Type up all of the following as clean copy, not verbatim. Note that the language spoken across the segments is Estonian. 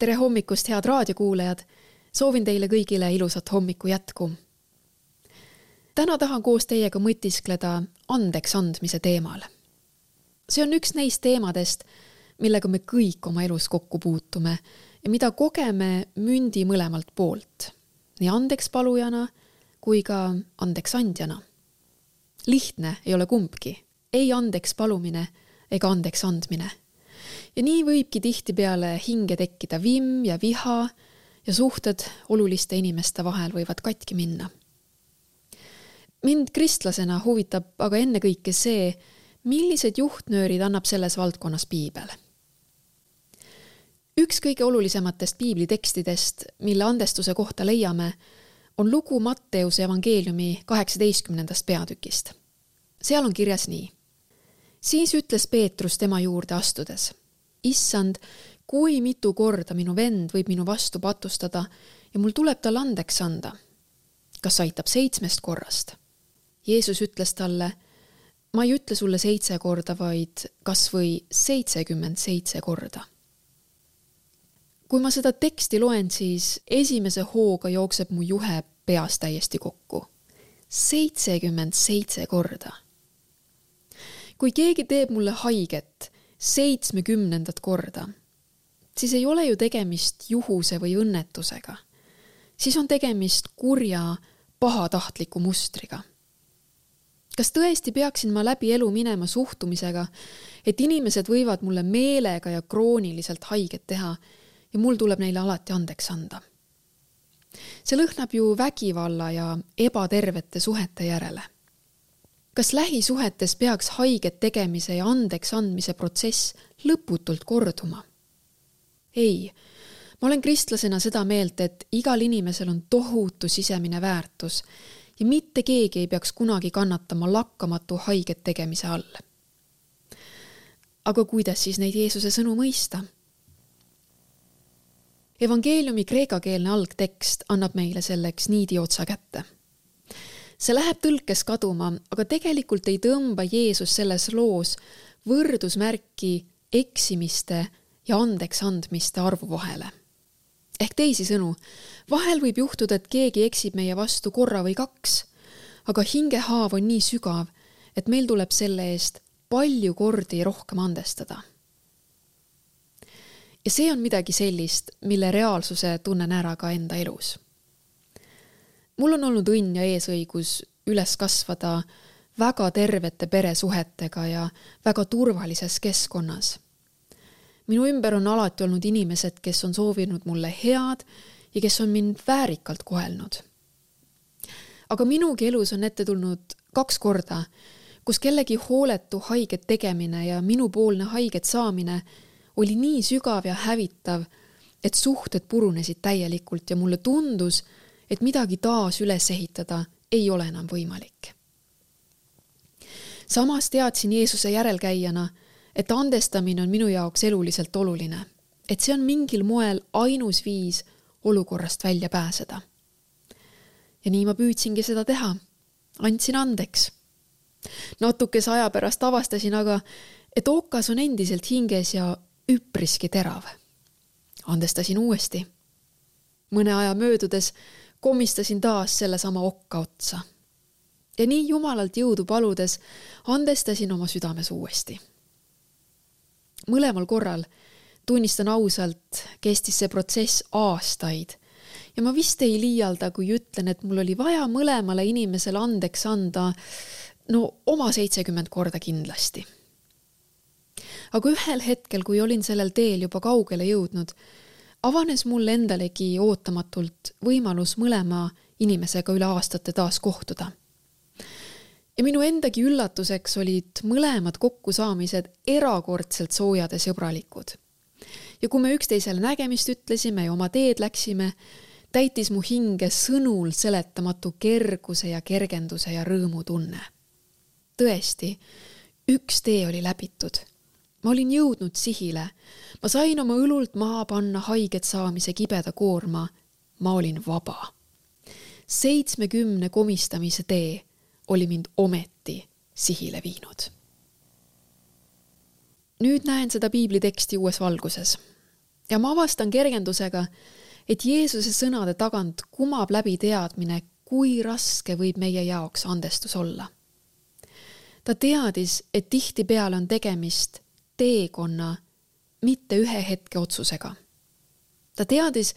Tere hommikust, head raadiokuulajad! Soovin teile kõigile ilusat hommiku jätku. Täna tahan koos teiega mõtiskleda andeks andmise teemal. See on üks neist teemadest, millega me kõik oma elus kokku puutume ja mida kogeme mündi mõlemalt poolt, nii andeks palujana kui ka andeks andjana. Lihtne ei ole kumbki, ei andeks palumine ega andeks andmine. Ja nii võibki tihtipeale hinge tekkida vimm ja viha ja suhted oluliste inimeste vahel võivad katki minna. Mind kristlasena huvitab aga ennekõike see, millised juhtnöörid annab selles valdkonnas piibel. Üks kõige olulisematest piiblitekstidest, mille andestuse kohta leiame, on lugu Matteuse evangeeliumi 18. peatükist. Seal on kirjas nii. Siis ütles Peetrus tema juurde astudes. Issand, kui mitu korda minu vend võib minu vastu patustada ja mul tuleb tal andeks anda? Kas aitab 7 korrast? Jeesus ütles talle, ma ei ütle sulle 7 korda, vaid kas või 77 korda. Kui ma seda teksti loen, siis esimese hooga jookseb mu juhe peas täiesti kokku. 77 korda. Kui keegi teeb mulle haiget 70. korda, siis ei ole ju tegemist juhuse või õnnetusega. Siis on tegemist kurja, pahatahtliku mustriga. Kas tõesti peaksin ma läbi elu minema suhtumisega, et inimesed võivad mulle meelega ja krooniliselt haiget teha ja mul tuleb neile alati andeks anda? See lõhnab ju vägivalla ja ebatervete suhete järele. Kas lähisuhetes peaks haiget tegemise ja andeks andmise protsess lõputult korduma? Ei, ma olen kristlasena seda meelt, et igal inimesel on tohutu sisemine väärtus ja mitte keegi ei peaks kunagi kannatama lakkamatu haiget tegemise all. Aga kuidas siis neid Jeesuse sõnu mõista? Evangeeliumi kreekakeelne algtekst annab meile selleks niidi otsa kätte. See läheb tõlkes kaduma, aga tegelikult ei tõmba Jeesus selles loos võrdusmärki eksimiste ja andeks andmiste arvu vahele. Ehk teisisõnu, vahel võib juhtuda, et keegi eksib meie vastu korra või 2, aga hingehaav on nii sügav, et meil tuleb selle eest palju kordi rohkem andestada. Ja see on midagi sellist, mille reaalsuse tunnen ära ka enda elus. Mul on olnud õnn ja eesõigus üles kasvada väga tervete peresuhetega ja väga turvalises keskkonnas. Minu ümber on alati olnud inimesed, kes on soovinud mulle head ja kes on mind väärikalt kohelnud. Aga minugi elus on ette tulnud 2 korda, kus kellegi hooletu haiget tegemine ja minupoolne haiget saamine oli nii sügav ja hävitav, et suhted purunesid täielikult ja mulle tundus, et midagi taas üles ehitada ei ole enam võimalik. Samas teadsin Jeesuse järelkäijana, et andestamine on minu jaoks eluliselt oluline, et see on mingil moel ainus viis olukorrast välja pääseda. Ja nii ma püüdsingi seda teha. Andsin andeks. Natukese aja pärast avastasin aga, et okas on endiselt hinges ja üpriski terav. Andestasin uuesti. Mõne aja möödudes komistasin taas selle sama okka otsa. Ja nii Jumalalt jõudu paludes andestasin oma südames uuesti. Mõlemal korral, tunnistan ausalt, kestis see protsess aastaid. Ja ma vist ei liialda, kui ütlen, et mul oli vaja mõlemale inimesele andeks anda oma 70 korda kindlasti. Aga ühel hetkel, kui olin sellel teel juba kaugele jõudnud, avanes mul endalegi ootamatult võimalus mõlema inimesega üle aastate taas kohtuda. Ja minu endagi üllatuseks olid mõlemad kokkusaamised erakordselt soojad ja sõbralikud. Ja kui me üksteisele nägemist ütlesime ja oma teed läksime, täitis mu hinge sõnul seletamatu kerguse ja kergenduse ja rõõmu tunne. Tõesti, üks tee oli läbitud. Ma olin jõudnud sihile. Ma sain oma õlult maha panna haiget saamise kibeda koorma. Ma olin vaba. 70 komistamise tee oli mind ometi sihile viinud. Nüüd näen seda piibliteksti uues valguses. Ja ma avastan kergendusega, et Jeesuse sõnade tagant kumab läbi teadmine, kui raske võib meie jaoks andestus olla. Ta teadis, et tihtipeale on tegemist teekonna, mitte ühe hetke otsusega. Ta teadis,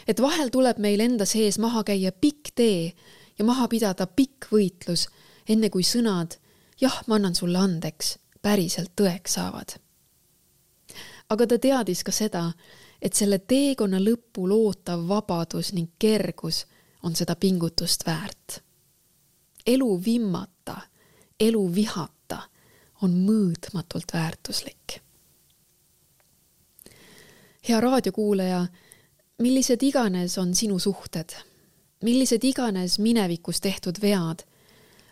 et vahel tuleb meil enda sees maha käia pikk tee ja maha pidada pikk võitlus, enne kui sõnad, jah, ma annan sulle andeks, päriselt tõeks saavad. Aga ta teadis ka seda, et selle teekonna lõpul ootav vabadus ning kergus on seda pingutust väärt. Elu vimmata, elu vihata on mõõtmatult väärtuslik. Hea raadiokuulaja, millised iganes on sinu suhted, millised iganes minevikus tehtud vead,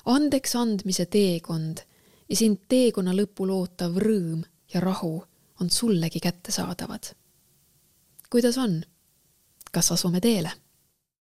andeks andmise teekond ja sind teekonna lõpul ootav rõõm ja rahu on sullegi kättesaadavad. Kuidas on? Kas asume teele?